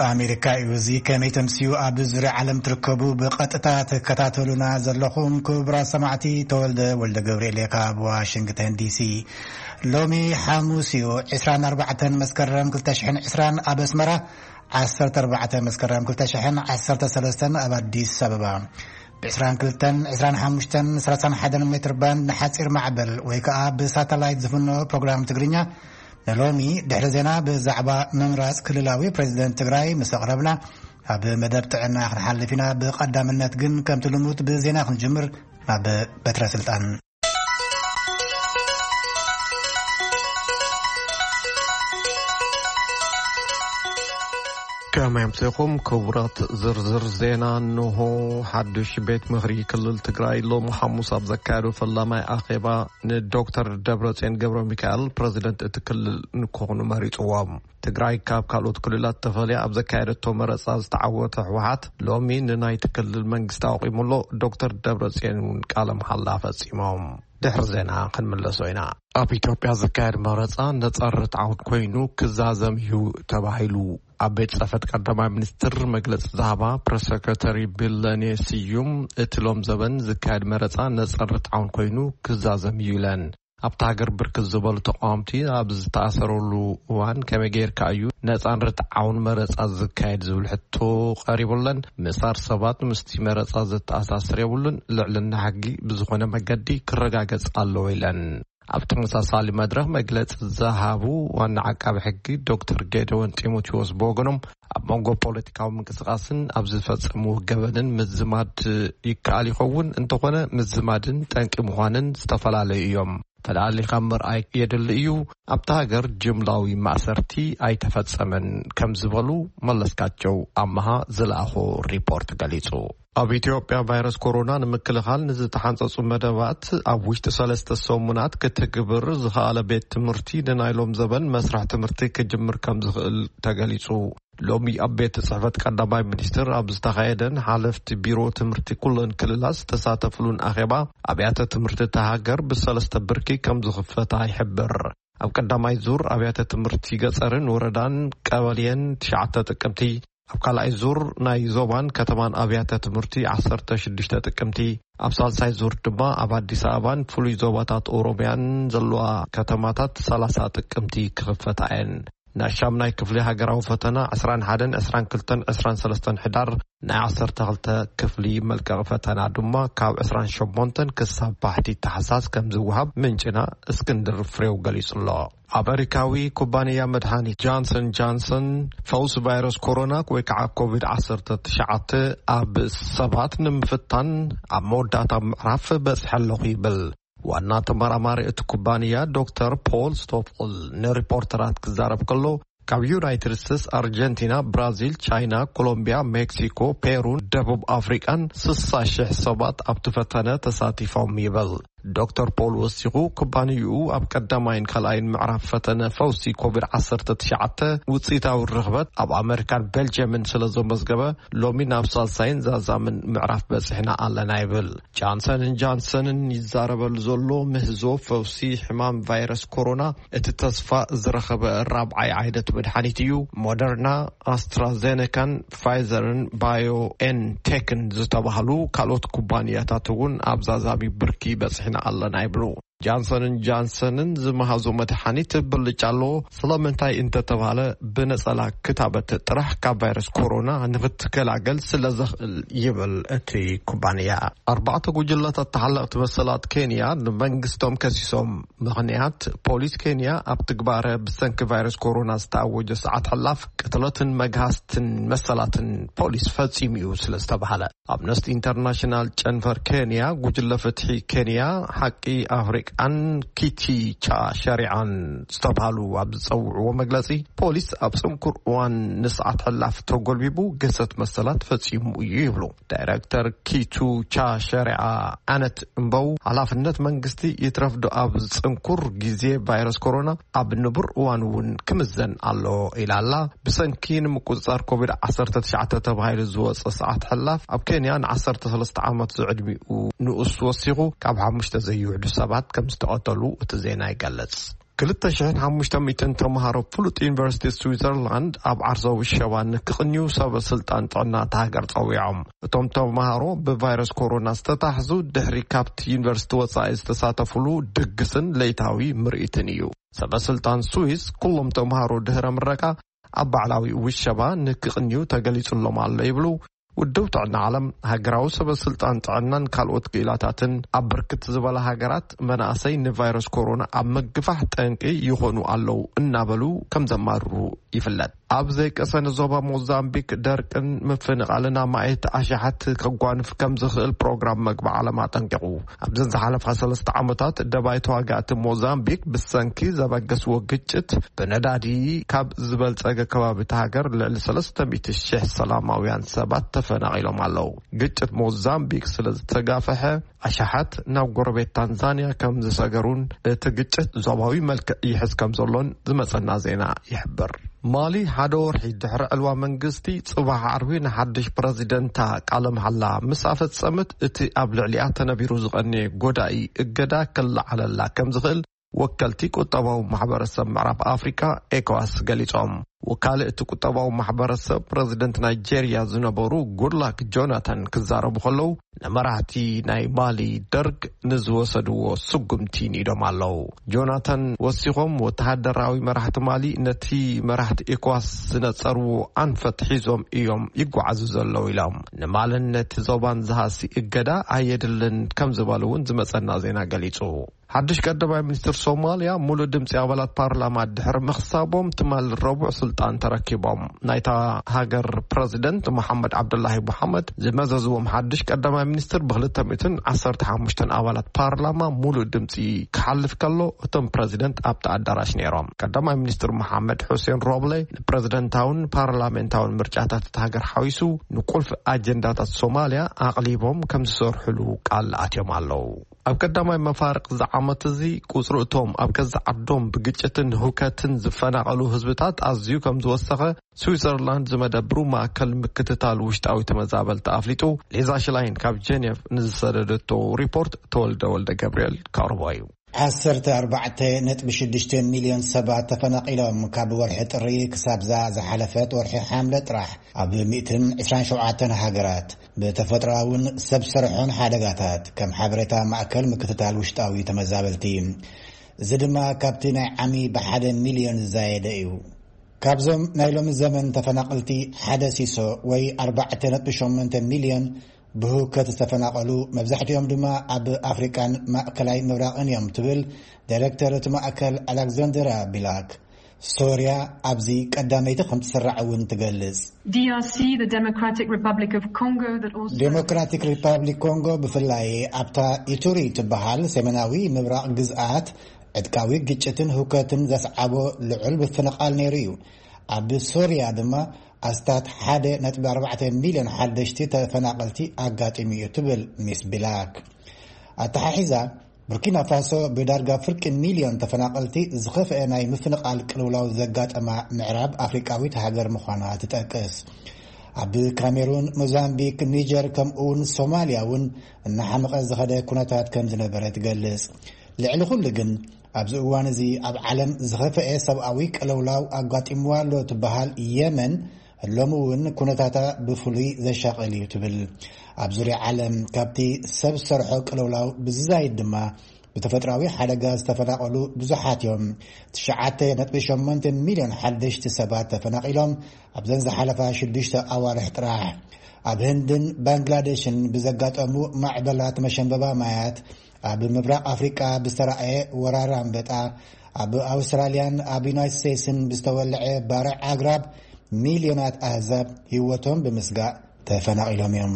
ኣሜሪካ እዩ። እዚ ከመይ ተምስዩ? ኣብ ዙርያ ዓለም ትርከቡ ብቐጥታ ትከታተሉና ዘለኹም ክቡራት ሰማዕቲ፣ ተወልደ ወልደ ገብርኤል እየ ካብ ዋሽንግተን ዲሲ። ሎሚ ሓሙስ እዩ፣ ዕስራን ኣርባዕተን መስከረም ክልተ ሽሕን ዕስራን ኣብ ኣስመራ፣ ዓሰርተ ኣርባዕተ መስከረም ክልተ ሽሕን ዓሰርተ ሰለስተን ኣብ ኣዲስ ኣበባ። ብ22፣ ዕስራን ሓሙሽተን፣ ሰላሳን ሓደን ሜትር ባንድ ንሓጺር ማዕበል ወይ ከኣ ብሳተላይት ዝፍኖ ፕሮግራም ትግርኛ ንሎሚ ድሕሪ ዜና ብዛዕባ ምምራጽ ክልላዊ ፕሬዚደንት ትግራይ ምስ ኣቕረብና፣ ኣብ መደብ ጥዕና ክንሓልፍ ኢና። ብቐዳምነት ግን ከምቲ ልሙድ ብዜና ክንጅምር። ናብ በትረ ስልጣን። ከመይ ኣምሲኹም ክቡራት። ዝርዝር ዜና እንሆ። ሓዱሽ ቤት ምኽሪ ክልል ትግራይ ሎሚ ሓሙስ ኣብ ዘካየዶ ፈላማይ ኣኼባ ንዶክተር ደብረጽዮን ገብረ ሚካኤል ፕረዚደንት እቲ ክልል ንክኾኑ መሪጽዎም። ትግራይ ካብ ካልኦት ክልላት ተፈልያ ኣብ ዘካየደቶ መረጻ ዝተዓወተ ህወሓት ሎሚ ንናይቲ ክልል መንግስቲ ኣቑሙ ኣሎ። ዶክተር ደብረጽዮን እውን ቃለ መሓላ ፈጺሞም። ድሕሪ ዜና ክንምለሶ ኢና። ኣብ ኢትዮጵያ ዝካየድ መረጻ ነጻ ርትዓውን ኮይኑ ክዛዘም እዩ ተባሂሉ። ኣብ ቤት ጽሕፈት ቀዳማይ ሚኒስትር መግለጺ ዝሃባ ፕሬስ ሰክረተሪ ቢለኔ ስዩም፣ እቲ ሎም ዘበን ዝካየድ መረጻ ነጻ ርትዓውን ኮይኑ ክዛዘም እዩ ኢለን። ኣብታ ሃገር ብርክት ዝበሉ ተቃወምቲ ኣብ ዝተኣሰረሉ እዋን ከመይ ጌርካ እዩ ነጻን ርትዓውን መረጻ ዝካየድ ዝብል ሕቶ ቀሪቡለን። ምእሳር ሰባት ምስቲ መረጻ ዘተኣሳስር የብሉን። ልዕልና ሕጊ ብዝኾነ መገዲ ክረጋገጽ ኣለዎ ኢለን። ኣብ ተመሳሳሊ መድረኽ መግለጺ ዝሃቡ ዋና ዓቃቢ ሕጊ ዶክተር ጌደዎን ጢሞቴዎስ ብወገኖም፣ ኣብ መንጎ ፖለቲካዊ ምንቅስቃስን ኣብ ዝፈጸምዎ ገበንን ምዝማድ ይከኣል ይኸውን፣ እንተኾነ ምዝማድን ጠንቂ ምዃንን ዝተፈላለዩ እዮም። ፈላሊኻ ምርኣይ የድሊ እዩ። ኣብታ ሃገር ጅምላዊ ማእሰርቲ ኣይተፈጸመን ከም ዝበሉ መለስካቸው ኣመሃ ዝለኣኾ ሪፖርት ገሊጹ። ኣብ ኢትዮጵያ ቫይረስ ኮሮና ንምክልኻል ንዝተሓንጸጹ መደባት ኣብ ውሽጢ ሰለስተ ሰሙናት ክትግብር ዝኸኣለ ቤት ትምህርቲ ንናይ ሎም ዘበን መስርሕ ትምህርቲ ክጅምር ከም ዝኽእል ተገሊጹ። ሎሚ ኣብ ቤት ጽሕፈት ቀዳማይ ሚኒስትር ኣብ ዝተኻየደን ሓለፍቲ ቢሮ ትምህርቲ ኩለን ክልላት ዝተሳተፍሉን ኣኼባ፣ ኣብያተ ትምህርቲ እታ ሃገር ብሰለስተ ብርኪ ከም ዝኽፈታ ይሕብር። ኣብ ቀዳማይ ዙር ኣብያተ ትምህርቲ ገጸርን ወረዳን ቀበሌን ትሽዓተ ጥቅምቲ፣ ኣብ ካልኣይ ዙር ናይ ዞባን ከተማን ኣብያተ ትምህርቲ ዓሰርተ ሽዱሽተ ጥቅምቲ፣ ኣብ ሳልሳይ ዙር ድማ ኣብ ኣዲስ ኣበባን ፍሉይ ዞባታት ኦሮሚያን ዘለዋ ከተማታት ሰላሳ ጥቅምቲ ክኽፈታ እየን። ናይ ሻምናይ ክፍሊ ሃገራዊ ፈተና ዕስራን ሓደን፣ ዕስራን ክልተን፣ ዕስራን ሰለስተን ሕዳር፣ ናይ ዓሰርተ ክልተ ክፍሊ መልቀቒ ፈተና ድማ ካብ ዕስራን ሸሞንተን ክሳብ ባሕቲ ታሕሳስ ከም ዝወሃብ ምንጭና እስክንድር ፍሬው ገሊጹ ኣሎ። ኣመሪካዊ ኩባንያ መድሃኒት ጃንሰን ጃንሰን ፈውሲ ቫይረስ ኮሮና ወይ ከዓ ኮቪድ ዓሰርተ ትሽዓተ ኣብ ሰባት ንምፍታን ኣብ መወዳእታ ምዕራፍ በጽሐ ኣለኹ ይብል። ዋና ተመራማሪ እቲ ኩባንያ ዶክተር ፖል ስቶፍል ንሪፖርተራት ክዛረብ ከሎ፣ ካብ ዩናይትድ ስቴትስ፣ ኣርጀንቲና፣ ብራዚል፣ ቻይና፣ ኮሎምቢያ፣ ሜክሲኮ፣ ፔሩን ደቡብ ኣፍሪቃን ስሳ ሽሕ ሰባት ኣብቲ ፈተነ ተሳቲፎም ይብል። ዶክተር ፖል ወሲኹ፣ ኩባንያኡ ኣብ ቀዳማይን ካልኣይን ምዕራፍ ፈተነ ፈውሲ ኮቪድ ዓሰርተ ትሽዓተ ውፅኢታዊ ርኽበት ኣብ ኣመሪካን ቤልጅየምን ስለ ዘመዝገበ፣ ሎሚ ናብ ሳልሳይን ዛዛምን ምዕራፍ በፂሕና ኣለና ይብል። ጃንሰንን ጃንሰንን ይዛረበሉ ዘሎ ምህዞ ፈውሲ ሕማም ቫይረስ ኮሮና እቲ ተስፋ ዝረኸበ ራብዓይ ዓይነት መድሓኒት እዩ። ሞደርና፣ ኣስትራዜነካን ፋይዘርን ባዮኤንቴክን ዝተባህሉ ካልኦት ኩባንያታት እውን ኣብ ዛዛሚ ብርኪ በፂሕና ኣለና ይብሉ። ጃንሰንን ጃንሰንን ዝመሃዞ መድሓኒት ብልጫ ኣለዎ። ስለምንታይ እንተተባሃለ፣ ብነጸላ ክታበት ጥራሕ ካብ ቫይረስ ኮሮና ንኽትገላገል ስለ ዘኽእል ይብል እቲ ኩባንያ። ኣርባዕተ ጉጅለታት ተሓለቕቲ መሰላት ኬንያ ንመንግስቶም ከሲሶም። ምኽንያት፣ ፖሊስ ኬንያ ኣብ ትግባረ ብሰንኪ ቫይረስ ኮሮና ዝተኣወጀ ሰዓት ሕላፍ ቅትለትን መግሃስትን መሰላትን ፖሊስ ፈጺሙ እዩ ስለ ዝተባሃለ። ኣምነስቲ ኢንተርናሽናል ጨንፈር ኬንያ፣ ጉጅለ ፍትሒ ኬንያ፣ ሓቂ ኣፍሪቃን ኪቲ ቻ ሸሪዓን ዝተባሃሉ ኣብ ዝጸውዕዎ መግለጺ፣ ፖሊስ ኣብ ጽንኩር እዋን ንሰዓት ሕላፍ ተጎልቢቡ ግህሰት መሰላት ፈጺሙ እዩ ይብሉ። ዳይረክተር ኪቱ ቻ ሸሪዓ ኣነት እምበው፣ ሓላፍነት መንግስቲ ይትረፍዶ ኣብ ጽንኩር ግዜ ቫይረስ ኮሮና ኣብ ንቡር እዋን እውን ክምዘን ኣሎ ኢላ ኣላ። ብሰንኪ ንምቁጽጻር ኮቪድ ዓሰርተ ትሽዓተ ተባሂሉ ዝወጸ ሰዓት ሕላፍ ኣብ ኬንያ ን ዓሰርተ ሰለስተ ዓመት ዝዕድሚኡ ንኡስ ወሲኹ ካብ ሓሙሽተ ዘይውሕዱ ሰባት ከም ዝተቐተሉ እቲ ዜና ይገልጽ። ክልተ ሽሕን ሓሙሽተ ሚእትን ተምሃሮ ፍሉጥ ዩኒቨርሲቲ ስዊዘርላንድ ኣብ ዓርሳዊ ሸባ ንክቕንዩ ሰበ ስልጣን ጥዕና እታ ሃገር ጸዊዖም። እቶም ተምሃሮ ብቫይረስ ኮሮና ዝተታሕዙ ድሕሪ ካብቲ ዩኒቨርሲቲ ወጻኢ ዝተሳተፉሉ ድግስን ለይታዊ ምርኢትን እዩ። ሰበ ስልጣን ስዊስ ኩሎም ተምሃሮ ድህረ ምረቃ ኣብ ባዕላዊ ውሸባ ንክቕንዩ ተገሊጹሎም ኣሎ ይብሉ። ውድብ ጥዕና ዓለም ሃገራዊ ሰበ ስልጣን ጥዕናን ካልኦት ክኢላታትን ኣብ ብርክት ዝበላ ሃገራት መናእሰይ ንቫይረስ ኮሮና ኣብ ምግፋሕ ጠንቂ ይኾኑ ኣለዉ እናበሉ ከም ዘማርሩ ይፍለጥ። ኣብ ዘይቀሰነ ዞባ ሞዛምቢክ ደርቅን ምፍንቓልን ኣማኢት ኣሽሓት ከጓንፍ ከም ዝኽእል ፕሮግራም መግቢ ዓለም ኣጠንቂቑ። ኣብዘን ዝሓለፋ ሰለስተ ዓመታት ደባይ ተዋጋእቲ ሞዛምቢክ ብሰንኪ ዘበገስዎ ግጭት ብነዳዲ ካብ ዝበልጸገ ከባቢ እታ ሃገር ልዕሊ ሰለስተ ሚእቲ ሽሕ ሰላማውያን ሰባት ተፈናቒሎም ኣለዉ። ግጭት ሞዛምቢክ ስለ ዝተጋፈሐ ኣሽሓት ናብ ጎረቤት ታንዛንያ ከም ዝሰገሩን እቲ ግጭት ዞባዊ መልክዕ ይሕዝ ከም ዘሎን ዝመጸና ዜና ይሕብር። ማሊ ሓደ ወርሒ ድሕሪ ዕልዋ መንግስቲ ጽባሕ ዓርቢ ንሓድሽ ፕረዚደንታ ቃለ መሓላ ምስ ኣፈጸመት እቲ ኣብ ልዕሊኣ ተነቢሩ ዝቐነየ ጎዳኢ እገዳ ክለዓለላ ከም ዝኽእል ወከልቲ ቁጠባዊ ማሕበረሰብ ምዕራብ ኣፍሪቃ ኤኮዋስ ገሊጾም። ወካሊ እቲ ቁጠባዊ ማሕበረሰብ ፕረዚደንት ናይጄርያ ዝነበሩ ጉድላክ ጆናታን ክዛረቡ ከለዉ ንመራሕቲ ናይ ማሊ ደርግ ንዝወሰድዎ ስጉምቲ ንኢዶም ኣለዉ። ጆናታን ወሲኾም ወተሃደራዊ መራሕቲ ማሊ ነቲ መራሕቲ ኤኮዋስ ዝነጸርዎ ኣንፈት ሒዞም እዮም ይጓዓዙ ዘለዉ ኢሎም። ንማልን ነቲ ዞባን ዝሃሲ እገዳ ኣየድልን ከም ዝበሉ እውን ዝመጸና ዜና ገሊጹ። ሓድሽ ቀዳማይ ሚኒስትር ሶማልያ ሙሉእ ድምፂ ኣባላት ፓርላማ ድሕሪ ምኽሳቦም ትማል ረቡዕ ስልጣን ተረኪቦም። ናይታ ሃገር ፕረዚደንት መሓመድ ዓብዱላሂ መሓመድ ዝመዘዝዎም ሓድሽ ቀዳማይ ሚኒስትር ብክልተ ሚእትን ዓሰርተ ሓሙሽተን ኣባላት ፓርላማ ሙሉእ ድምፂ ክሓልፍ ከሎ እቶም ፕረዚደንት ኣብቲ ኣዳራሽ ነይሮም። ቀዳማይ ሚኒስትር መሓመድ ሑሴን ሮብለ ንፕረዚደንታውን ፓርላሜንታውን ምርጫታት እታ ሃገር ሓዊሱ ንቁልፍ ኣጀንዳታት ሶማልያ ኣቕሊቦም ከም ዝሰርሕሉ ቃል ኣትዮም ኣለዉ። ኣብ ቀዳማይ መፋርቕ እዚ ዓመት እዚ ቁጽሪ እቶም ኣብ ገዛ ዓዶም ብግጭትን ህውከትን ዝፈናቐሉ ህዝብታት ኣዝዩ ከም ዝወሰኸ ስዊዘርላንድ ዝመደብሩ ማእከል ምክትታል ውሽጣዊ ተመዛበልቲ ኣፍሊጡ። ሊዛ ሽላይን ካብ ጀኔቭ ንዝሰደደቶ ሪፖርት ተወልደ ወልደ ገብርኤል ከቕርቦ እዩ። ዓሰርተ ኣርባዕተ ነጥቢ ሽዱሽተ ሚልዮን ሰባት ተፈናቒሎም ካብ ወርሒ ጥሪ ክሳብዛ ዝሓለፈት ወርሒ ሓምለ ጥራሕ ኣብ ሚእትን ዕስራን ሸውዓተን ሃገራት ብተፈጥሮኣውን ሰብ ሰርሖን ሓደጋታት፣ ከም ሓበሬታ ማእከል ምክትታል ውሽጣዊ ተመዛበልቲ። እዚ ድማ ካብቲ ናይ ዓሚ ብሓደ ሚልዮን ዝዛየደ እዩ። ካብዞም ናይ ሎሚ ዘመን ተፈናቐልቲ ሓደ ሲሶ ወይ ኣርባዕተ ነጥቢ ሸሞንተ ሚልዮን ብህውከት ዝተፈናቐሉ፣ መብዛሕትኦም ድማ ኣብ ኣፍሪቃን ማእከላይ ምብራቕን እዮም ትብል ዳይሬክተር እቲ ማእከል ኣሌክዛንድራ ቢላክ። ሶርያ ኣብዚ ቀዳመይቲ ከም ትስራዕ እውን ትገልጽ። D R C, the Democratic Republic of Congo, that also ዴሞክራቲክ ሪፓብሊክ ኮንጎ ብፍላይ ኣብታ ኢቱሪ ትበሃል ሰሜናዊ ምብራቕ ግዝኣት ዕጥቃዊ ግጭትን ህውከትን ዘስዓቦ ልዑል ምፍንቓል ነይሩ እዩ። ኣብ ሶርያ ድማ ኣስታት ሓደ ነጥቢ ኣርባዕተ ሚልዮን ሓደሽቲ ተፈናቐልቲ ኣጋጢሙ እዩ ትብል ሚስ ቢላክ። ኣተሓሒዛ ቡርኪና ፋሶ ብዳርጋ ፍርቂ ሚልዮን ተፈናቐልቲ ዝኸፍአ ናይ ምፍንቓል ቅልውላው ዘጋጠማ ምዕራብ ኣፍሪቃዊት ሃገር ምዃና ትጠቅስ። ኣብ ካሜሩን፣ ሞዛምቢክ፣ ኒጀር ከምኡውን ሶማልያ እውን እናሓመቐ ዝኸደ ኩነታት ከም ዝነበረ ትገልጽ። ልዕሊ ኩሉ ግን ኣብዚ እዋን እዚ ኣብ ዓለም ዝኸፍአ ሰብኣዊ ቅልውላው ኣጋጢምዋ ኣሎ ትበሃል የመን ሎሚ እውን ኩነታታ ብፍሉይ ዘሻቕል እዩ ትብል። ኣብ ዙርያ ዓለም ካብቲ ሰብ ሰርሖ ቅልውላው ብዝዛይድ ድማ ብተፈጥራዊ ሓደጋ ዝተፈናቐሉ ብዙሓት እዮም። ትሽዓተ ነጥቢ ሸሞንተ ሚልዮን ሓደሽቲ ሰባት ተፈናቒሎም ኣብዘን ዝሓለፋ ሽዱሽተ ኣዋርሕ ጥራሕ። ኣብ ህንድን ባንግላዴሽን ብዘጋጠሙ ማዕበላት መሸንበባ ማያት፣ ኣብ ምብራቕ ኣፍሪቃ ብዝተራእየ ወራር ኣንበጣ፣ ኣብ ኣውስትራልያን ኣብ ዩናይትድ ስቴትስን ብዝተወልዐ ባርዕ ኣግራብ ሚልዮናት ኣህዛብ ህይወቶም ብምስጋእ ተፈናቒሎም እዮም።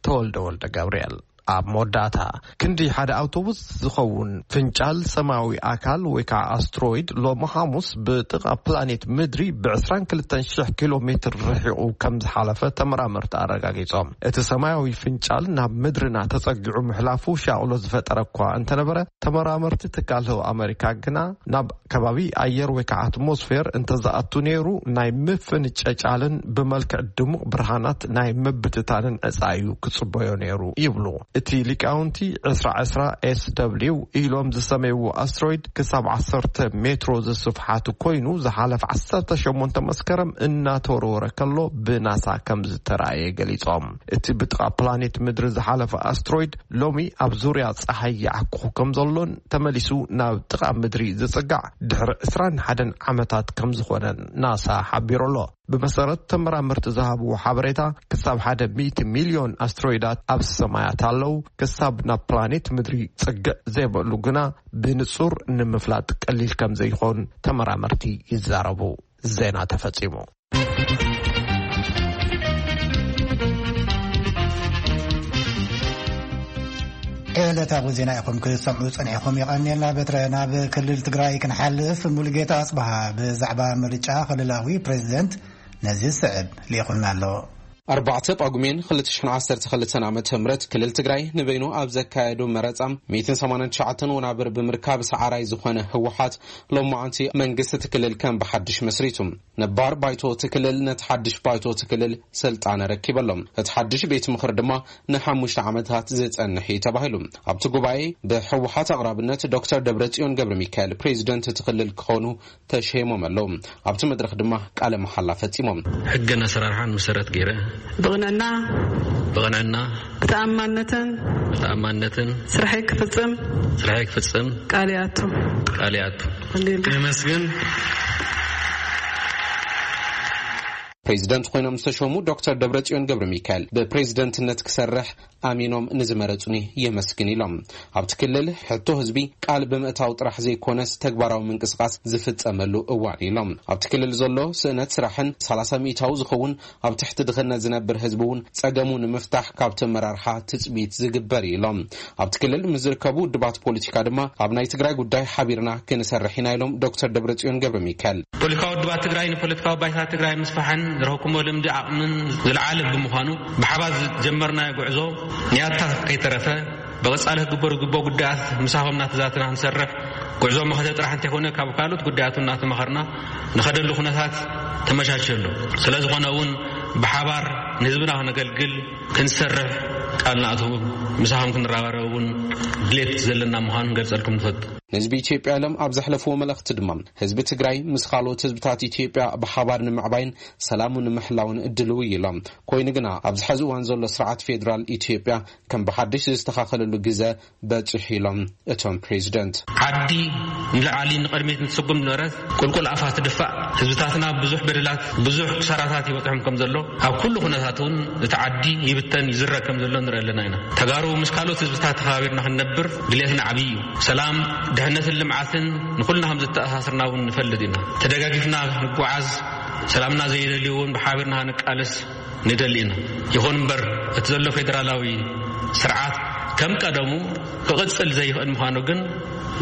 ተወልደ ወልደ ገብርኤል። ኣብ መወዳእታ፣ ክንዲ ሓደ ኣውቶቡስ ዝኸውን ፍንጫል ሰማያዊ ኣካል ወይ ከዓ ኣስትሮይድ ሎሚ ሓሙስ ብጥቓ ፕላኔት ምድሪ ብ ዕስራን ክልተን ሽሕ ኪሎ ሜትር ርሒቑ ከም ዝሓለፈ ተመራመርቲ ኣረጋጊጾም። እቲ ሰማያዊ ፍንጫል ናብ ምድርና ተጸጊዑ ምሕላፉ ሻቕሎ ዝፈጠረ እኳ እንተነበረ፣ ተመራመርቲ ትካል ህዋ ኣመሪካ ግና ናብ ከባቢ ኣየር ወይ ከዓ ኣትሞስፌር እንተዝኣቱ ነይሩ ናይ ምፍንጨጫልን ብመልክዕ ድሙቕ ብርሃናት ናይ ምብትታንን ዕፃ እዩ ክጽበዮ ነይሩ ይብሉ። እቲ ሊቃውንቲ ዕስራ ዕስራ ኤስ ደብሊው ኢሎም ዝሰመይዎ ኣስትሮይድ ክሳብ ዓሰርተ ሜትሮ ዝስፍሓቱ ኮይኑ፣ ዝሓለፈ ዓሰርተ ሸሞንተ መስከረም እናተወርወረ ከሎ ብናሳ ከም ዝተራእየ ገሊጾም። እቲ ብጥቓ ፕላኔት ምድሪ ዝሓለፈ ኣስትሮይድ ሎሚ ኣብ ዙርያ ጸሓይ ይዓኩኹ ከም ዘሎን ተመሊሱ ናብ ጥቓ ምድሪ ዝጽጋዕ ድሕሪ ዕስራን ሓደን ዓመታት ከም ዝኾነን ናሳ ሓቢሩ ኣሎ። ብመሰረት ተመራመርቲ ዝሃብዎ ሓበሬታ፣ ክሳብ ሓደ ሚእቲ ሚልዮን ኣስትሮይዳት ኣብ ሰማያት ኣለዉ። ክሳብ ናብ ፕላኔት ምድሪ ጽግዕ ዘይበሉ ግና ብንጹር ንምፍላጥ ቀሊል ከም ዘይኾን ተመራመርቲ ይዛረቡ። ዜና ተፈጺሙ። ዕለታዊ ዜና ኢኹም ክትሰምዑ ጸኒሕኩም። የቐንየልና በትረ። ናብ ክልል ትግራይ ክንሓልፍ፣ ሙሉጌታ ኣጽብሃ ብዛዕባ ምርጫ ክልላዊ ፕሬዚደንት ነዚ ዝስዕብ ልኢኹልና ኣሎ። ኣርባዕተ ጳጉሜን ክልተ ሽሕን ዓሰርተ ክልተን ዓመተ ምህረት ክልል ትግራይ ንበይኑ ኣብ ዘካየዱ መረጻ ሚእትን ሰማንያን ትሽዓተን ወናብር ብምርካብ ሰዓራይ ዝኾነ ህወሓት ሎማዓንቲ መንግስቲ እቲ ክልል ከም ብሓድሽ መስሪቱ። ነባር ባይቶ እቲ ክልል ነቲ ሓድሽ ባይቶ እቲ ክልል ስልጣን ኣረኪበሎም። እቲ ሓድሽ ቤት ምኽሪ ድማ ንሓሙሽተ ዓመታት ዝጸንሕ እዩ ተባሂሉ። ኣብቲ ጉባኤ ብህወሓት ኣቕራብነት ዶክተር ደብረጽዮን ገብረ ሚካኤል ፕሬዚደንት እቲ ክልል ክኾኑ ተሸይሞም ኣለዉ። ኣብቲ መድረኽ ድማ ቃለ መሓላ ፈጺሞም። ሕግን ኣሰራርሓን መሰረት ገይረ ብቕንዕና ብቕንዕና ብተኣማንነትን ብተኣማንነትን ስርሐይ ክፍጽም ስርሐይ ክፍጽም ቃል ይኣቱ። ቃል ይኣቱ። የመስግን። ፕሬዚደንት ኮይኖም ዝተሾሙ ዶክተር ደብረጽዮን ገብረ ሚካኤል ብፕሬዚደንትነት ክሰርሕ ኣሚኖም ንዝመረጹኒ የመስግን ኢሎም። ኣብቲ ክልል ሕቶ ህዝቢ ቃል ብምእታው ጥራሕ ዘይኮነስ ተግባራዊ ምንቅስቃስ ዝፍጸመሉ እዋን ኢሎም። ኣብቲ ክልል ዘሎ ስእነት ስራሕን ሰላሳ ሚእታዊ ዝኸውን ኣብ ትሕቲ ድኽነት ዝነብር ህዝቢ እውን ጸገሙ ንምፍታሕ ካብቲ ኣመራርሓ ትጽቢት ዝግበር እዩ ኢሎም። ኣብቲ ክልል ምስ ዝርከቡ ውድባት ፖለቲካ ድማ ኣብ ናይ ትግራይ ጉዳይ ሓቢርና ክንሰርሕ ኢና ኢሎም ዶክተር ደብረጽዮን ገብረ ሚካኤል። ፖለቲካዊ ውድባት ትግራይ ንፖለቲካዊ ባይታ ትግራይ ምስፋሕን ዝረኸብኩሞ ልምዲ ዓቕምን ዝለዓለ ብምዃኑ፣ ብሓባር ዝጀመርናዮ ጉዕዞ ንያታ ከይተረፈ ብቐጻሊ ክግበሩ ዝግብኦ ጉዳያት ምሳኹም እናተዛተና ክንሰርሕ፣ ጉዕዞ መኸተ ጥራሕ እንተይኮነ ካብ ካልኦት ጉዳያት እናተማኸርና ንኸደሉ ኩነታት ተመቻችዮ ኣሎ። ስለ ዝኾነ እውን ብሓባር ንህዝብና ክነገልግል ክንሰርሕ ቃል ንኣትው። ምሳኹም ክንረባረብ እውን ድሌት ዘለና ምዃኑ ክንገልጸልኩም ንፈቱ። ንህዝቢ ኢትዮጵያ ኢሎም ኣብ ዘሕለፍዎ መልእኽቲ ድማ፣ ህዝቢ ትግራይ ምስ ካልኦት ህዝብታት ኢትዮጵያ ብሓባር ንምዕባይን ሰላሙ ንምሕላውን ድልው ኢሎም። ኮይኑ ግና ኣብዚ ሕዚ እዋን ዘሎ ስርዓት ፌዴራል ኢትዮጵያ ከም ብሓድሽ ዝተኻኸለሉ ግዘ በፂሑ ኢሎም እቶም ፕሬዚደንት። ዓዲ ንላዕሊ ንቕድሚት እንትስጉም ዝነበረት ቁልቁል ኣፋ ትድፋእ፣ ህዝብታትና ብዙሕ በደላት ብዙሕ ክሳራታት ይበፅሖም ከም ዘሎ፣ ኣብ ኩሉ ኩነታት እውን እቲ ዓዲ ይብተን ይዝረግ ከም ዘሎ ንርኢ ኣለና ኢና። ተጋሩ ምስ ካልኦት ህዝብታት ተኸባቢርና ክንነብር ድሌትና ዓብዪ እዩ። ሰላም፣ ድሕነትን ልምዓትን ንኹልና ከም ዘተኣሳስርና እውን ንፈልጥ ኢና። ተደጋጊፍና ንጓዓዝ፣ ሰላምና ዘይደልዩ እውን ብሓቢርና ንቃለስ ንደሊ ኢና። ይኹን እምበር እቲ ዘሎ ፌደራላዊ ስርዓት ከም ቀደሙ ክቕጽል ዘይኽእል ምዃኑ ግን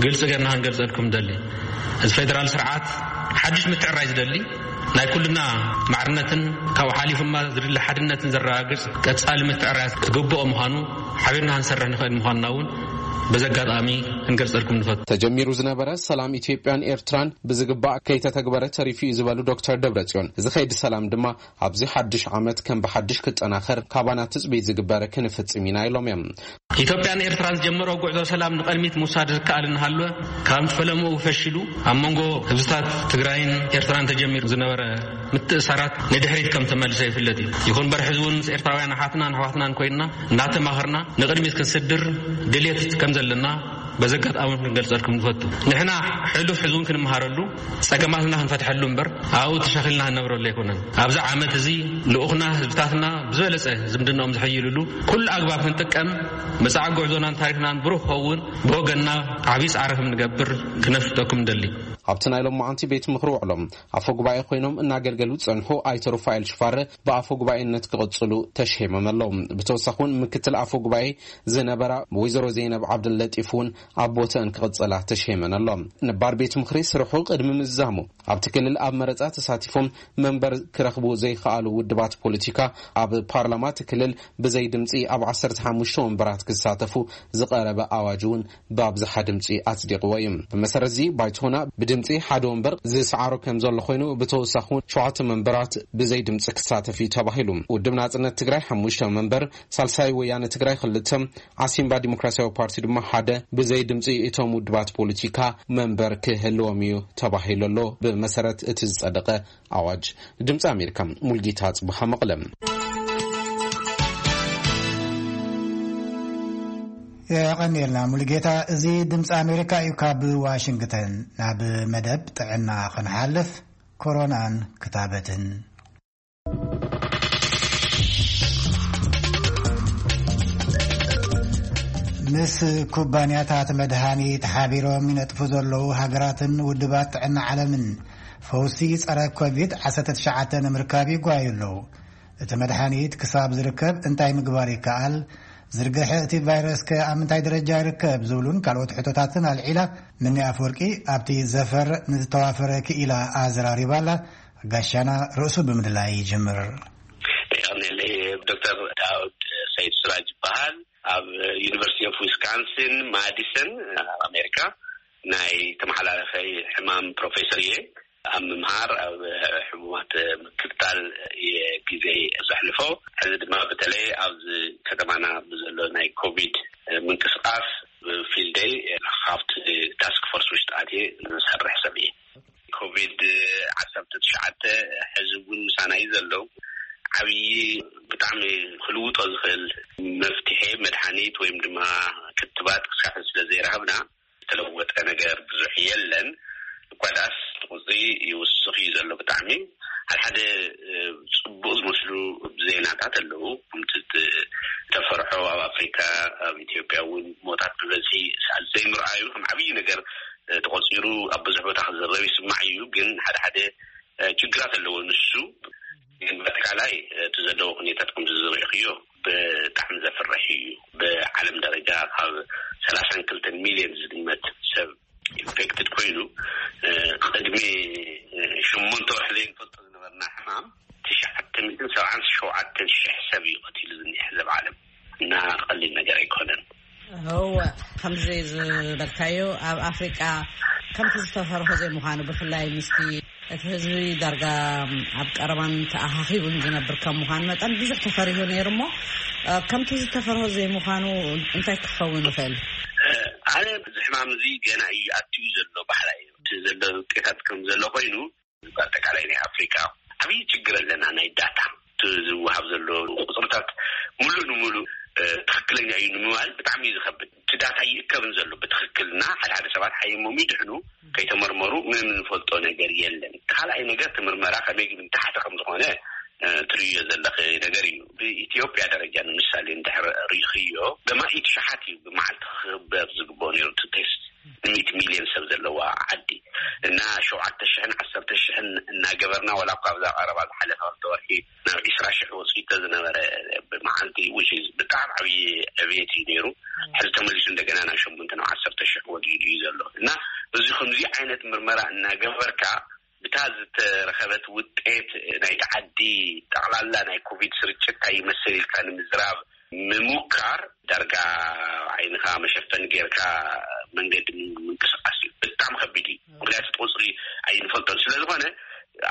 ግልጺ ጌርና ክንገልጸልኩም ንደሊ። እዚ ፌደራል ስርዓት ሓድሽ ምትዕራይ ዝደሊ፣ ናይ ኩልና ማዕርነትን ካብኡ ሓሊፉ ድማ ዝድሊ ሓድነትን ዘረጋግጽ ቀጻሊ ምትዕራይ ክግብኦ ምዃኑ ሓቢርና ክንሰርሕ ንኽእል ምዃንና እውን በዚ ኣጋጣሚ ክንገልጸልኩም ንፈቱ። ተጀሚሩ ዝነበረ ሰላም ኢትዮጵያን ኤርትራን ብዝግባእ ከይተተግበረ ተሪፉ እዩ ዝበሉ ዶክተር ደብረጽዮን፣ እዚ ከይዲ ሰላም ድማ ኣብዚ ሓድሽ ዓመት ከም ብሓድሽ ክጠናኸር ካባና ትጽቢት ዝግበር ክንፍጽም ኢና ኢሎም እዮም። ኢትዮጵያን ኤርትራን ዝጀመሮ ጉዕዞ ሰላም ንቐድሚት ምውሳድ ዝከኣል እናሃለወ፣ ካብ ፈለምኡ ፈሺሉ ኣብ መንጎ ህዝብታት ትግራይን ኤርትራን ተጀሚሩ ዝነበረ ምትእሳራት ንድሕሪት ከም ተመልሰ ይፍለጥ እዩ። ይኹን እምበር ሕዚ እውን ምስ ኤርትራውያን ኣሓትናን ኣሕዋትናን ኮይንና እናተማኸርና ንቕድሚት ክንስድር ድልየት ከም ዘለና በዚ ኣጋጣሚ ክንገልጸልኩም ንፈቱ። ንሕና ሕሉፍ ሕዚ እውን ክንመሃረሉ፣ ጸገማትና ክንፈትሐሉ እምበር ኣብኡ ተሻኺልና ክንነብረሉ ኣይኮነን። ኣብዚ ዓመት እዚ ልኡኽና ህዝብታትና ብዝበለጸ ዝምድናኦም ዝሕይልሉ ኩሉ ኣግባብ ክንጥቀም፣ መጻኢ ጉዕዞናን ታሪኽናን ብሩህ ክኸውን ብወገንና ዓብዪ ጻዕሪ ከም ንገብር ክነፍልጠኩም ንደሊ። ኣብቲ ናይ ሎማዓንቲ ቤት ምኽሪ ውዕሎም ኣፈ ጉባኤ ኮይኖም እናገልገሉ ዝጸንሑ ኣይተ ሩፋኤል ሽፋረ ብኣፈ ጉባኤነት ክቕጽሉ ተሸይሞም ኣለዉ። ብተወሳኺ እውን ምክትል ኣፈ ጉባኤ ዝነበራ ወይዘሮ ዘይነብ ዓብደለጢፍ እውን ኣብ ቦተን ክቕጽላ ተሸይመን ኣሎ። ነባር ቤት ምኽሪ ስርሑ ቅድሚ ምዝዛሙ ኣብቲ ክልል ኣብ መረጻ ተሳቲፎም መንበር ክረኽቡ ዘይከኣሉ ውድባት ፖለቲካ ኣብ ፓርላማ እቲ ክልል ብዘይ ድምጺ ኣብ ዓሰርተ ሓሙሽተ ወንበራት ክሳተፉ ዝቐረበ ኣዋጅ እውን ብኣብዝሓ ድምጺ ኣጽዲቕዎ እዩ። ብመሰረት እዚ ባይቶና ብድምጺ ሓደ ወንበር ዝሰዓሮ ከም ዘሎ ኮይኑ ብተወሳኺ እውን ሸውዓተ መንበራት ብዘይ ድምጺ ክሳተፍ እዩ ተባሂሉ። ውድብ ናጽነት ትግራይ ሓሙሽተ መንበር፣ ሳልሳይ ወያነ ትግራይ ክልተ፣ ዓሲምባ ዲሞክራሲያዊ ፓርቲ ድማ ሓደ ብዘይ ድምፂ እቶም ውድባት ፖለቲካ መንበር ክህልዎም እዩ ተባሂሉ ኣሎ። ብመሰረት እቲ ዝጸደቐ ኣዋጅ። ድምፂ ኣሜሪካ፣ ሙልጌታ ጽቡሓ መቐለ። የቐንየልና ሙልጌታ። እዚ ድምፂ ኣሜሪካ እዩ። ካብ ዋሽንግተን ናብ መደብ ጥዕና ክንሓልፍ፣ ኮሮናን ክታበትን። ምስ ኩባንያታት መድሃኒት ሓቢሮም ይነጥፉ ዘለዉ ሃገራትን ውድባት ጥዕና ዓለምን ፈውሲ ጸረ ኮቪድ ዓሰርተ ትሽዓተ ንምርካብ ይጓዩ ኣለዉ። እቲ መድሃኒት ክሳብ ዝርከብ እንታይ ምግባር ይከኣል? ዝርግሐ እቲ ቫይረስከ ኣብ ምንታይ ደረጃ ይርከብ? ዝብሉን ካልኦት ሕቶታትን ኣልዒላ፣ ምኒ ኣፈወርቂ ኣብቲ ዘፈር ንዝተዋፈረ ክኢላ ኣዘራሪባ ኣላ። ጋሻና ርእሱ ብምድላይ ይጅምር። የቐንየለይ። ዶክተር ዳውድ ሰይድ ስራጅ ይበሃል። ኣብ ዩኒቨርሲቲ ኦፍ ዊስካንሲን ማዲሰን ኣብ ኣሜሪካ ናይ ተመሓላለፈ ሕማም ፕሮፌሰር እየ። ኣብ ምምሃር፣ ኣብ ሕሙማት ምክትታል እየ ግዜ ዘሕልፎ። ሕዚ ድማ በተለይ ኣብዚ ከተማና ብዘሎ ናይ ኮቪድ ምንቅስቃስ ብፊልደይ ካብቲ ታስክ ፎርስ ውሽጢ ኣትየ ዝሰርሕ ሰብ እየ። ኮቪድ ዓሰርተ ትሽዓተ ሕዚ እውን ምሳና እዩ ዘሎ። ዓብዪ፣ ብጣዕሚ ክልውጦ ዝኽእል መፍትሒ፣ መድሓኒት ወይም ድማ ክትባት ክሳዕ ስለ ዘይረኸብና ዝተለወጠ ነገር ብዙሕ የለን። እኳ ደኣስ እቲ ቁፅሪ ይውስኽ እዩ ዘሎ ብጣዕሚ። ሓደ ሓደ፣ እ፣ ፅቡቕ ዝመስሉ ዜናታት ኣለዉ። ከምቲ እተፈርሖ ኣብ ኣፍሪካ፣ ኣብ ኢትዮጵያ እውን ሞታት ብበዝሒ ሰዓት ዘይምርኣዩ ከም ዓብዪ ነገር፣ እ፣ ተቆፂሩ ኣብ ብዙሕ ቦታ ክዝረብ ይስማዕ እዩ። ግን ሓደ ሓደ፣ እ፣ ችግራት ኣለዎ። ንሱ ግን በኣጠቃላይ እቲ ዘለዎ ኩነታት ከምዚ ዝርኢኽዮ ብጣዕሚ ዘፍርሕ እዩ። ብዓለም ደረጃ ካብ ሰላሳን ክልተን ሚልዮን ዝግመት ሰብ ኢንፌክትድ ኮይኑ፣ እ፣ ቅድሚ፣ እ፣ ሸሞንተ ወርሒ ዘይንፈልጦ ዝነበርና ሕማም ትሽዓተ ሚእትን ሰብዓን ሸውዓተን ሽሕ ሰብ እዩ ቀቲሉ ዝኒሀ ሕዚ ኣብ ዓለም። እና ቀሊል ነገር ኣይኮነን። እወ፣ ከምዚ ዝበልካዮ ኣብ ኣፍሪቃ ከምቲ ዝተፈርሆ ዘይምዃኑ፣ ብፍላይ ምስቲ እቲ ህዝቢ ዳርጋ ኣብ ቀረባን ተኣኻኺቡን ዝነብር ከም ምዃኑ መጠን ብዙሕ ተፈሪሁ ነይሩ እሞ፣ እ፣ ከምቲ ዝተፈርሆ ዘይምዃኑ እንታይ ክኸውን ይኽእል? እ፣ ኣነ እዚ ሕማም እዚ ገና እዩ ኣትዩ ዘሎ በሃላይ እየ። እቲ ዘሎ ውጤታት ከም ዘሎ ኮይኑ፣ ብኣጠቃላይ ናይ ኣፍሪካ ዓብዪ ችግር ኣለና። ናይ ዳታ፣ እቲ ዝወሃብ ዘሎ ቁፅርታት ሙሉእ ንሙሉእ፣ እ፣ ትኽክለኛ እዩ ንምባል ብጣዕሚ እዩ ዝኸብድ። እቲ ዳታ ይእከብን ዘሎ ብትኽክል እና ሓደ ሓደ ሰባት ሓይሞም ይድሕኑ፣ ከይተመርመሩ ምንም እንፈልጦ ነገር የለን። ካልኣይ ነገር፣ እቲ ምርመራ ከመይ ግን ታሕቲ ከም ዝኾነ፣ እ፣ ትርእዮ ዘለኺ ነገር እዩ። ብኢትዮጵያ ደረጃ ንምሳሌ እንድሕር ርኢኽዮ፣ ብማእት ሸሓት እዩ ብመዓልቲ ክኽበር ዝግብኦ ነይሩ እቲ ቴስት። ሚእቲ ሚልዮን ሰብ ዘለዋ ዓዲ እና ሸውዓተ ሽሕን ዓሰርተ ሽሕን እናገበርና፣ ዋላ እኳ ኣብዛ ቀረባ ዝሓለፈ ክልተ ወርሒ ናብ ዒስራ ሽሕ ወፂኡ ዝነበረ ብመዓልቲ፣ which is ብጣዕሚ ዓብዪ ዕብየት እዩ ነይሩ። ሕዚ ተመሊሱ እንደገና ናብ ሸሞንተ ናብ ዓሰርተ ሽሕ ወዲኡ እዩ ዘሎ እና እዚ ከምዚ ዓይነት ምርመራ እናገበርካ ብታ ዝተረኸበት ውጤት ናይቲ ዓዲ ጠቕላላ ናይ ኮቪድ ስርጭት እንታይ ይመስል ኢልካ ንምዝራብ ምሙካር ዳርጋ ዓይንኻ መሸፈኒ ጌርካ መንገዲ ምንቅስቃስ እዩ። ብጣዕሚ ከቢድ እዩ። ምክንያቱ እቲ ቁፅሪ ኣይንፈልጦን ስለ ዝኾነ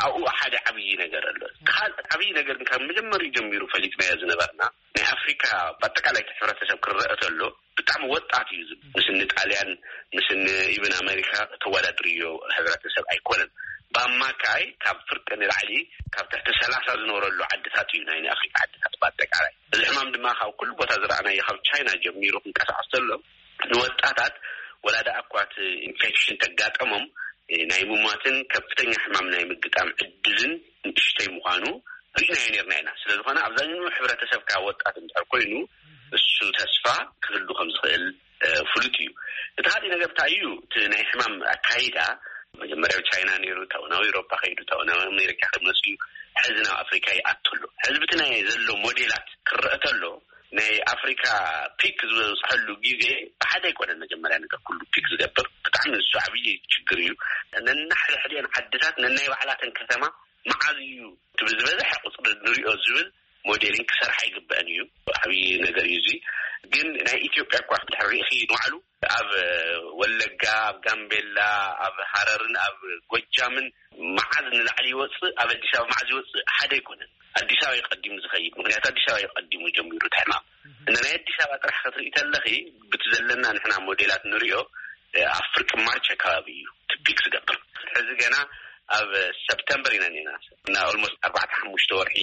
ኣብኡ ሓደ ዓብዪ ነገር ኣሎ። ካልእ ዓብዪ ነገር ግን ካብ መጀመሪኡ ጀሚሩ ፈሊጥናዮ ዝነበርና ናይ ኣፍሪካ ብኣጠቃላይ እቲ ሕብረተሰብ ክረአ ተሎ ብጣዕሚ ወጣት እዩ። ዝብ ምስ እኒ ጣልያን ምስ እኒ ኢብን ኣሜሪካ ተወዳድርዮ ሕብረተሰብ ኣይኮነን። ብኣማካይ ካብ ፍርቂ ንላዕሊ ካብ ትሕቲ ሰላሳ ዝኖረሉ ዓድታት እዩ ናይ ኣፍሪካ ዓድታት ብኣጠቃላይ። እዚ ሕማም ድማ ካብ ኩሉ ቦታ ዝረኣናዮ ካብ ቻይና ጀሚሩ ክንቀሳቀስ ተሎ ንወጣታት ወላ ደኣ እኳ እቲ ኢንፌክሽን ተጋጠሞም ናይ ምሟትን ከፍተኛ ሕማም ናይ ምግጣም ዕድልን ንእሽተይ ምዃኑ ርኢናዮ ነርና ኢና። ስለ ዝኾነ ኣብዛኛኡ ሕብረተሰብ ከዓ ወጣት እንድሕር ኮይኑ እሱ ተስፋ ክህሉ ከም ዝኽእል ፍሉጥ እዩ። እቲ ካልእ ነገር እንታይ እዩ? እቲ ናይ ሕማም ኣካይዳ መጀመርያ ብ ቻይና ነይሩ፣ ታውናዊ ኤውሮፓ ከይዱ፣ ታውናዊ ኣሜሪካ ክመፅእ እዩ። ሕዚ ናብ ኣፍሪካ ይኣቱ ኣሎ። ሕዚ ብቲ ናይ ዘሎ ሞዴላት ክረአ ተሎ ናይ ኣፍሪካ ፒክ ዝበፅሐሉ ግዜ ብሓደ ኣይኮነን። መጀመርያ ነገር ኩሉ ፒክ ዝገብር ብጣዕሚ ንሱ ዓብዪ ችግር እዩ። ነናሕድሕድን ዓድታት ነናይ ባዕላተን ከተማ መዓዝ እዩ እቲ ብዝበዝሐ ቁፅሪ ንሪኦ ዝብል ሞዴሊንግ ክሰርሓ ይግበአን እዩ። ዓብዪ ነገር እዩ እዚ። ግን ናይ ኢትዮጵያ እኳ ድሕሪ ርኢኺ ንባዕሉ ኣብ ወለጋ፣ ኣብ ጋምቤላ፣ ኣብ ሃረርን ኣብ ጎጃምን መዓዝ ንላዕሊ ይወፅእ፣ ኣብ ኣዲስ ኣበባ መዓዝ ይወፅእ ሓደ ኣይኮነን። ኣዲስ ኣበባ ይቀዲሙ ዝኸይድ፣ ምክንያቱ ኣዲስ ኣበባ ይቀዲሙ ጀሚሩ እቲ ሕማም። እና ናይ ኣዲስ ኣበባ ጥራሕ ክትርኢ ተለኺ ብቲ ዘለና ንሕና ሞዴላት ንሪኦ ኣብ ፍርቂ ማርች ኣካባቢ እዩ ትፒክ ዝገብር። ሕዚ ገና ኣብ ሰፕተምበር ኢና ኔና እና ኦልሞስት ኣርባዕተ ሓሙሽተ ወርሒ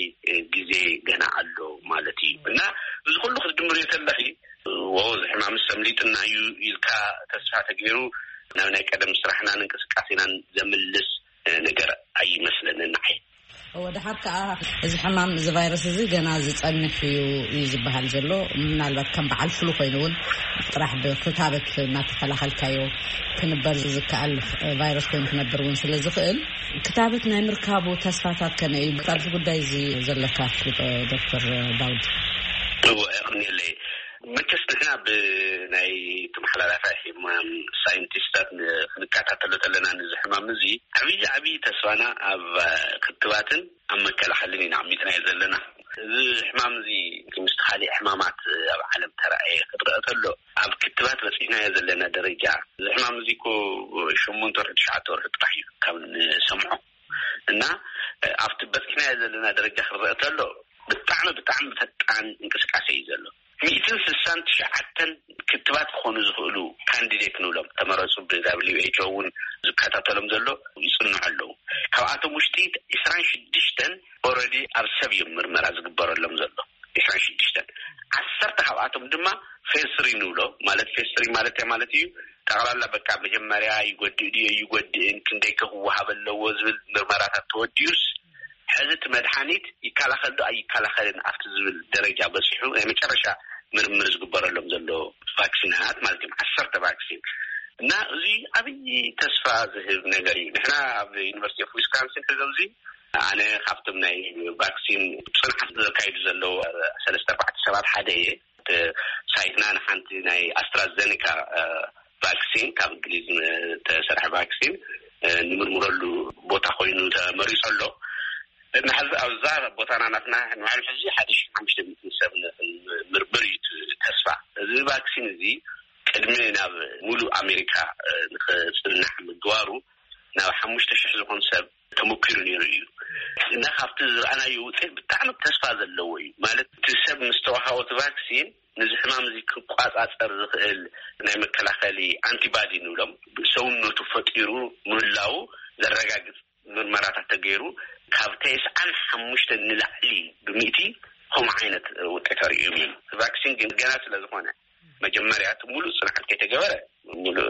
ግዜ ገና ኣሎ ማለት እዩ። እና እዚ ኩሉ ክትድምርዮ ተለኺ ወ እዚ ሕማም ሰምሊጥና እዩ ኢልካ ተስፋ ተገይሩ ናብ ናይ ቀደም ስራሕናን እንቅስቃሴናን ዘምልስ ነገር ኣይመስለንን ንዓይ። ወደ ሓር ከዓ እዚ ሕማም እዚ ቫይረስ እዚ ገና ዝፀንሕ እዩ እዩ ዝበሃል ዘሎ። ምናልባት ከም በዓል ፍሉ ኮይኑ እውን ጥራሕ ብክታበት እናተኸላኸልካዮ ክንበር ዝከኣል ቫይረስ ኮይኑ ክነብር እውን ስለ ዝኽእል ክታበት ናይ ምርካቡ ተስፋታት ከመይ እዩ? ኣብዚ ጉዳይ እዚ ዘለካ ኣፍልጦ ዶክተር ዳውድ? እወ፣ የቐንየለይ። መቸስ ንሕና ብናይ ተመሓላላፋይ ሕማም ሳይንቲስታት ን- ክንከታተሎ ተለና፣ ንዚ ሕማም እዚ ዓብዪ ዓብዪ ተስፋና ኣብ ክትባትን ኣብ መከላኸልን ኢና ኣሚጥናዮ ዘለና። እዚ ሕማም እዚ ምስቲ ካሊእ ሕማማት ኣብ ዓለም ተራእየ ክትረአ ተሎ፣ ኣብ ክትባት በፂሕናዮ ዘለና ደረጃ፣ እዚ ሕማም እዚ እኮ ሸሞንተ ወርሒ ትሽዓተ ወርሒ ጥራሕ እዩ ካብ ንሰምዖ። እና ኣብቲ በፂሕናዮ ዘለና ደረጃ ክረአ ተሎ ብጣዕሚ ብጣዕሚ ፈጣን እንቅስቃሴ እዩ ዘሎ። ሚእትን ስሳን ትሽዓተን ክትባት ክኾኑ ዝኽእሉ ካንዲዴት ንብሎም ተመረፁ፣ ብ WHO እውን ዝከታተሎም ዘሎ ይፅንዑ ኣለዉ። ካብኣቶም ውሽጢ ዕስራን ሽዱሽተን ኦረዲ ኣብ ሰብ እዮም ምርመራ ዝግበረሎም ዘሎ። ዕስራን ሽዱሽተን፣ ዓሰርተ ካብኣቶም ድማ ፌዝ ስሪ ንብሎ። ማለት ፌዝ ስሪ ማለት እንታይ ማለት እዩ? ጠቕላላ በቃ መጀመርያ ይጎድእ ድዩ ይጎድእን፣ ክንደይ ከ ክወሃብ ኣለዎ ዝብል ምርመራታት ተወዲኡስ፣ ሕዚ እቲ መድሓኒት ይከላኸል ዶ ኣይከላኸልን ኣብቲ ዝብል ደረጃ በፂሑ ናይ መጨረሻ ምርምር ዝግበረሎም ዘሎ ቫክሲናት ማለት እዮም። ዓሰርተ ቫክሲን እና እዚ ዓብዪ ተስፋ ዝህብ ነገር እዩ። ንሕና ኣብ ዩኒቨርሲቲ ኦፍ ዊስካንሲን ሕዚ ኣብዚ ኣነ ካብቶም ናይ ቫክሲን ፅንዓት ዘካይዱ ዘለዉ ሰለስተ ኣርባዕተ ሰባት ሓደ እየ። እቲ ሳይትና ንሓንቲ ናይ ኣስትራዘኒካ ቫክሲን፣ ካብ እንግሊዝ ዝተሰርሐ ቫክሲን ንምርምረሉ ቦታ ኮይኑ ተመሪፁ ኣሎ። ንሕዚ ኣብዛ ቦታና ናትና ንባዕሉ ሕዚ ሓደ ሺሕ ሓሙሽተ ሚእቲ ሰብ ንምርምር እዩ እቲ ተስፋ። እዚ ቫክሲን እዚ ቅድሚ ናብ ሙሉእ ኣሜሪካ ንክፅናሕ ምግባሩ ናብ ሓሙሽተ ሽሕ ዝኾን ሰብ ተመኪሩ ነይሩ እዩ። እና ካብቲ ዝረኣናዮ ውፅኢት ብጣዕሚ ተስፋ ዘለዎ እዩ። ማለት እቲ ሰብ ምስ ተዋሃቦ እቲ ቫክሲን ነዚ ሕማም እዚ ክቋፃፀር ዝኽእል ናይ መከላኸሊ ኣንቲባዲ ንብሎም ሰውነቱ ፈጢሩ ምህላዉ ዘረጋግፅ ምርመራታት ተገይሩ ካብ ተስዓን ሓሙሽተን ንላዕሊ ብሚእቲ ከምኡ ዓይነት ውፅኢት ኣርእዮም እዮም። ቫክሲን ግን ገና ስለ ዝኾነ መጀመርያ እቲ ሙሉእ ፅንዓት ከይተገበረ ሙሉእ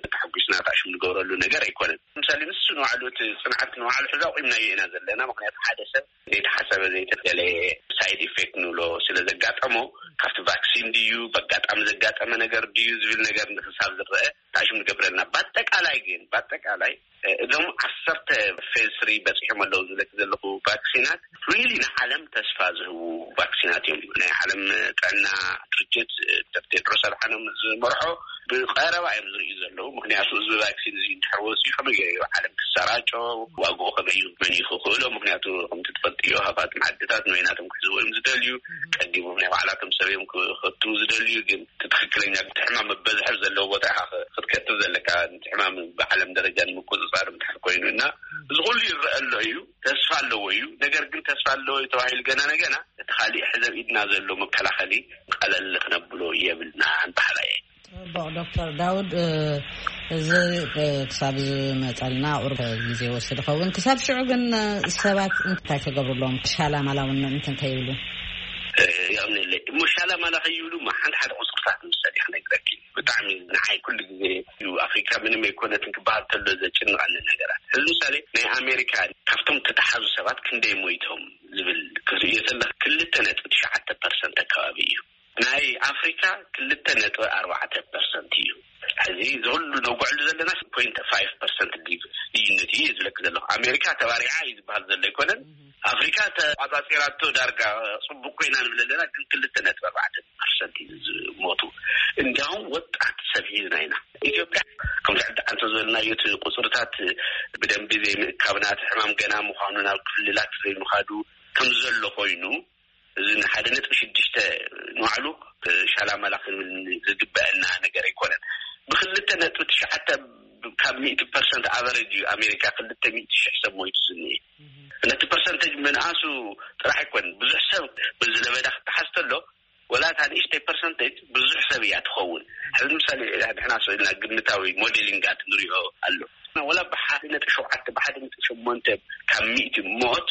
ተሓጒስና ታሽም ንገብረሉ ነገር ኣይኮነን። ምሳሌ ንሱ ንባዕሉ እቲ ፅንዓት ንባዕሉ ሕዚ ኣቑምናዮ ኢና ዘለና። ምክንያቱ ሓደ ሰብ ዘይተሓሰበ ዘይተደለየ ሳይድ ኢፌክት ንብሎ ስለ ዘጋጠሞ ካብቲ ቫክሲን ድዩ ብኣጋጣሚ ዘጋጠመ ነገር ድዩ ዝብል ነገር ንክሳብ ዝረአ ታሽም ንገብረልና። በኣጠቃላይ ግን በኣጠቃላይ እዞም ዓሰርተ ፌዝ ስሪ በፂሖም ኣለዉ ዝብለኪ ዘለኹ ቫክሲናት ሪሊ ንዓለም ተስፋ ዝህቡ ቫክሲናት እዮም። ናይ ዓለም ጥዕና ድርጅት ዶክተር ቴድሮስ ኣድሓኖም ዝመርሖ ብቀረባ እዮም ዝርእዩ ዘለዉ። ምክንያቱ እዚ ቫክሲን እዚ እንድሕር ወፂኡ ከመይ ገይሩ ዓለም ክሰራጮ፣ ዋግኡ ከመይ እዩ መን እዩ ክኽእሎ? ምክንያቱ ከምቲ ትፈልጥዮ ሃፋትም ዓድታት ንበይናቶም ክሕዝዎ እዮም ዝደልዩ። ቀዲሞም ናይ ባዕላቶም ሰብ እዮም ክኸትቡ ዝደልዩ። ግን እቲ ትኽክለኛ እቲ ሕማም መበዝሒ ዘለዎ ቦታ ኢኻ ክ- ክትከትብ ዘለካ። እቲ ሕማም ብዓለም ደረጃ ንምቁፅፃር እንድሕር ኮይኑ እና እዚ ኩሉ ይረአ ኣሎ እዩ። ተስፋ ኣለዎ እዩ። ነገር ግን ተስፋ ኣለዎ እዩ ተባሂሉ ገና ነገና እቲ ካሊእ ሕዚ ኣብ ኢድና ዘሎ መከላኸሊ ቀለል ክነብሎ የብልና ንበሃል እየ። ፅቡቕ ዶክተር ዳውድ፣ እዚ ክሳብ ዝመፀልና ቁሩብ ግዜ ይወስድ ይኸውን። ክሳብ ሽዑ ግን ሰባት እንታይ ክገብሩ ኣለዎም? ሻላ ማላ እውን እንትን ከይብሉ። የቕንየለይ እሞ ሻላ ማላ ከይብሉ እሞ ሓንቲ ሓደ ቁፅርታት ንምሳሌ ክነግረኪ። ብጣዕሚ ንዓይ ኩሉ ግዜ እዩ ኣፍሪካ ምንም ኣይኮነትን ክበሃል ከሎ ዘጭንቐኒ ነገራት። እዚ ምሳሌ ናይ ኣሜሪካ ካብቶም ተተሓዙ ሰባት ክንደይ ሞይቶም ዝብል ክትርእዮ ከለካ ክልተ ነጥቢ ትሽዓተ ፐርሰንት ኣካባቢ እዩ። ናይ ኣፍሪካ ክልተ ነጥቢ ኣርባዕተ ፐርሰንት እዩ። ሕዚ ዝሁሉ ነጉዕሉ ዘለና ፖይንት ፋይቭ ፐርሰንት ልዩነት እዩ ዝብለክ ዘለኹ። ኣሜሪካ ተባሪዓ እዩ ዝበሃል ዘሎ ኣይኮነን። ኣፍሪካ ተቋፃፂራቶ ዳርጋ ፅቡቅ ኮይና ንብል ኣለና፣ ግን ክልተ ነጥቢ ኣርባዕተ ፐርሰንት እዩ ዝሞቱ። እንዲያውም ወጣት ሰብ ሒዝና ኢና። ኢትዮጵያ ከምዚ ዕዳ እንተ ዝበልናዮ እቲ ቁፅርታት ብደንቢ ዘይምእካብና፣ እቲ ሕማም ገና ምዃኑ፣ ናብ ክልላት ዘይምኻዱ ከም ዘሎ ኮይኑ፣ እዚ ንሓደ ነጥቢ ሽዱሽተ ንባዕሉ ሻላማላ ክንብል ዝግበአና ነገር ኣይኮነን። ብክልተ ነጥቢ ትሽዓተ ካብ ሚእቲ ፐርሰንት ኣቨሬጅ እዩ ኣሜሪካ ክልተ ሚእቲ ሽሕ ሰብ ሞይቱ ዝኒኤ። ነቲ ፐርሰንቴጅ ምንኣሱ ጥራሕ ኣይኮነን፣ ብዙሕ ሰብ በዚ ለበዳ ክተሓዝ ተሎ፣ ወላ እታ ንእሽተይ ፐርሰንቴጅ ብዙሕ ሰብ እያ ትኸውን። ሕዚ ምሳሌ ንሕና ስኢልና ግምታዊ ሞዴሊንጋት ንሪኦ ኣሎ። ወላ ብሓደ ነጥቢ ሸውዓተ፣ ብሓደ ነጥቢ ሸሞንተ ካብ ሚእቲ ሞት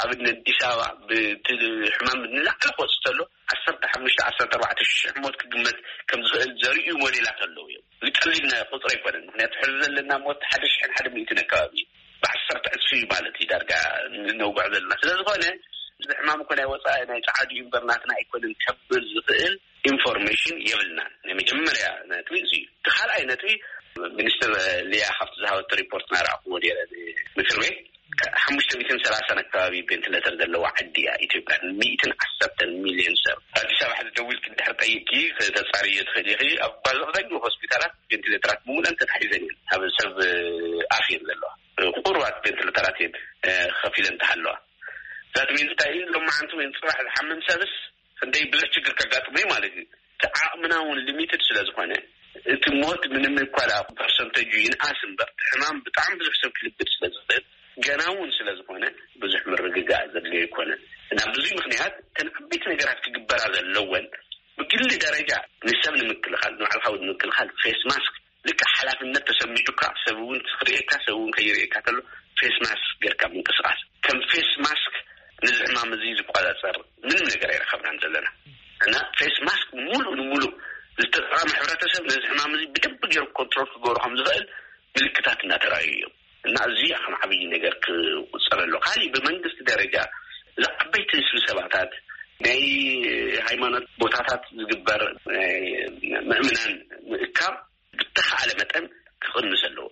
ኣብ ኣዲስ ኣበባ ብቲ ሕማም ንላዕሊ ክወፅእ ተሎ ዓሰርተ ሓሙሽተ ዓሰርተ ኣርባዕተ ሽሕ ሞት ክግመት ከም ዝኽእል ዘርእዩ ሞዴላት ኣለዉ እዮም። ዝቀሊል ናይ ቁፅሪ ኣይኮነን። ምክንያቱ ሕዚ ዘለና ሞት ሓደ ሽሕን ሓደ ሚእትን ኣካባቢ እዩ። ብዓሰርተ ዕፅፊ ማለት እዩ ዳርጋ ንነውግዖ ዘለና። ስለ ዝኾነ እዚ ሕማም እኮ ናይ ወፃኢ ናይ ፃዓዱ እዩ እምበር ናትና ኣይኮነን ከብል ዝኽእል ኢንፎርሜሽን የብልናን። ናይ መጀመርያ ነጥቢ እዚ እዩ። እቲ ካልኣይ ነጥቢ ሚኒስትር ሊያ ካብቲ ዝሃበቶ ሪፖርት ናረኣኹዎ ነይረ ምክር ቤት ሓሙሽተ ሚእትን ሰላሳን ኣካባቢ ቬንቲሌተር ዘለዋ ዓዲ እያ ኢትዮጵያ። ሚእትን ዓሰርተን ሚልዮን ሰብ። ኣዲስ ኣበባ ሕዚ ደዊልኪ ድሕር ጠይቂ ከተፃርዮ ትኽእል ኢኺ። ኣብ ኣብዛኛው ሆስፒታላት ቬንቲሌተራት ብምሉኣን ተታሒዘን እየን። ኣብ ሰብ ኣፍ እየን ዘለዋ። ቁሩባት ቬንቲሌተራት እየን ከፊለን ተሃለዋ። ዛት ሚንስ እንታይ እዩ? ሎማዓንቲ ወይ ፅባሕ ዝሓምም ሰብስ ክንደይ ብዙሕ ችግር ከጋጥሞ እዩ ማለት እዩ። እቲ ዓቕምና እውን ሊሚትድ ስለ ዝኾነ፣ እቲ ሞት ምንም እኳ ደኣ ፐርሰንተጁ ይንኣስ እምበር፣ እቲ ሕማም ብጣዕሚ ብዙሕ ሰብ ክልብድ ስለ ዝኽእል፣ ገና እውን ስለ ዝኾነ ብዙሕ ምርግጋእ ዘድልዮ ኣይኮነን። እና ብዙይ ምክንያት እተን ዓበይቲ ነገራት ክግበራ ዘለወን ብግሊ ደረጃ ንሰብ ንምክልኻል፣ ንባዕልኻ ንምክልኻል ፌስ ማስክ ልክዕ ሓላፍነት ተሰሚዑካ፣ ሰብ እውን ክርእየካ፣ ሰብ እውን ከይርእየካ ከሎ ፌስ ማስክ ጌርካ ምንቅስቃስ። ከም ፌስ ማስክ ነዚ ሕማም እዚ ዝቆጻጸር ምንም ነገር ኣይረኸብናን ዘለና። እና ፌስ ማስክ ሙሉእ ንሙሉእ ዝተጠቐመ ሕብረተሰብ ነዚ ሕማም እዚ ብደንብ ገይሩ ኮንትሮል ክገብሮ ከም ዝኽእል ምልክታት እናተራእዩ እዮም። እና እዚ ከም ዓብዪ ነገር ክቁጸር ኣሎ። ካሊእ ብመንግስቲ ደረጃ እዚ ዓበይቲ ስብሰባታት፣ ናይ ሃይማኖት ቦታታት ዝግበር ናይ ምእምናን ምእካብ ብተኻእለ መጠን ክቕንስ ኣለዎ።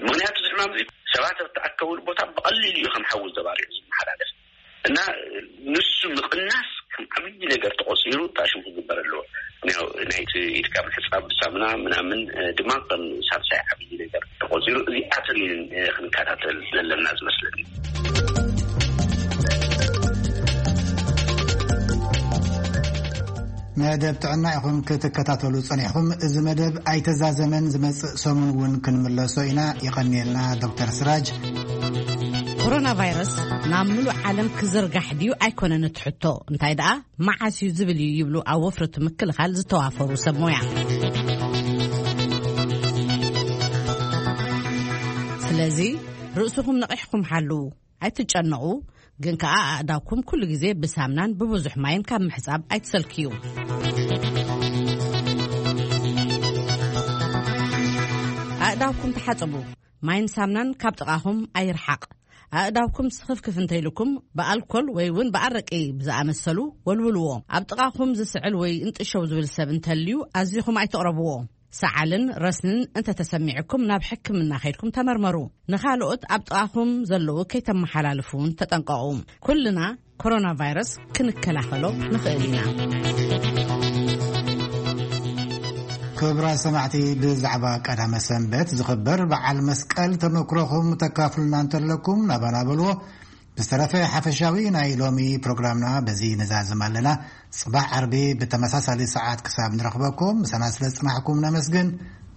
ምኽንያቱ እዚ ሕማም እዚ ሰባት ኣብ ተኣከብሉ ቦታ ብቐሊሉ እዩ ከም ሓዊ ዘባሪዑ ዝመሓላለፍ። እና ንሱ ምቕናስ ከም ዓብዪ ነገር ተቖፂሩ ታሽም ክግበር ኣለዎ። ያው ናይቲ ኢድካ ምሕፃብ ብሳሙና ምናምን ድማ ከም ሳልሳይ ዓብዪ ነገር ተቖፂሩ እዚኣተን እየን ክንከታተል ዘለና ዝመስለኒ። መደብ ጥዕና ኢኹም ክትከታተሉ ጸኒሕኹም። እዚ መደብ ኣይተዛዘመን፣ ዝመጽእ ሰሙን እውን ክንምለሶ ኢና። ይቐንየልና ዶክተር ስራጅ። ኮሮና ቫይረስ ናብ ምሉእ ዓለም ክዝርጋሕ ድዩ ኣይኮነን እቲ ሕቶ፣ እንታይ ደኣ መዓስ እዩ ዝብል እዩ ይብሉ ኣብ ወፍሪ ምክልኻል ዝተዋፈሩ ሰብ ሞያ። ስለዚ ርእስኹም ነቒሕኩም ሓልዉ። ኣይትጨነቑ፣ ግን ከኣ ኣእዳውኩም ኩሉ ግዜ ብሳምናን ብብዙሕ ማይን ካብ ምሕጻብ ኣይትሰልክዩ። ኣእዳውኩም ተሓጸቡ። ማይን ሳምናን ካብ ጥቓኹም ኣይርሓቕ። ኣእዳውኩም ስኽፍክፍ እንተኢልኩም ብኣልኮል ወይ እውን ብኣረቂ ብዝኣመሰሉ ወልውልዎ። ኣብ ጥቓኹም ዝስዕል ወይ እንጥሸው ዝብል ሰብ እንተልዩ ኣዚኹም ኣይትቕረብዎ። ሰዓልን ረስንን እንተተሰሚዕኩም ናብ ሕክምና ከይድኩም ተመርመሩ። ንኻልኦት ኣብ ጥቓኹም ዘለዉ ከይተመሓላልፉ እውን ተጠንቀቑ። ኩልና ኮሮና ቫይረስ ክንከላኸሎ ንኽእል ኢና። ክቡራት ሰማዕቲ፣ ብዛዕባ ቀዳመ ሰንበት ዝኽበር በዓል መስቀል ተመክሮኹም ተካፍሉና እንተለኩም ናባና በልዎ። ብዝተረፈ ሓፈሻዊ ናይ ሎሚ ፕሮግራምና በዚ ንዛዝም ኣለና። ጽባሕ ዓርቢ ብተመሳሳሊ ሰዓት ክሳብ ንረኽበኩም ምሳና ስለ ዝጽናሕኩም ነመስግን።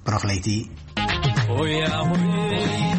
ብሩኽ ለይቲ። ሆያ ሆይ።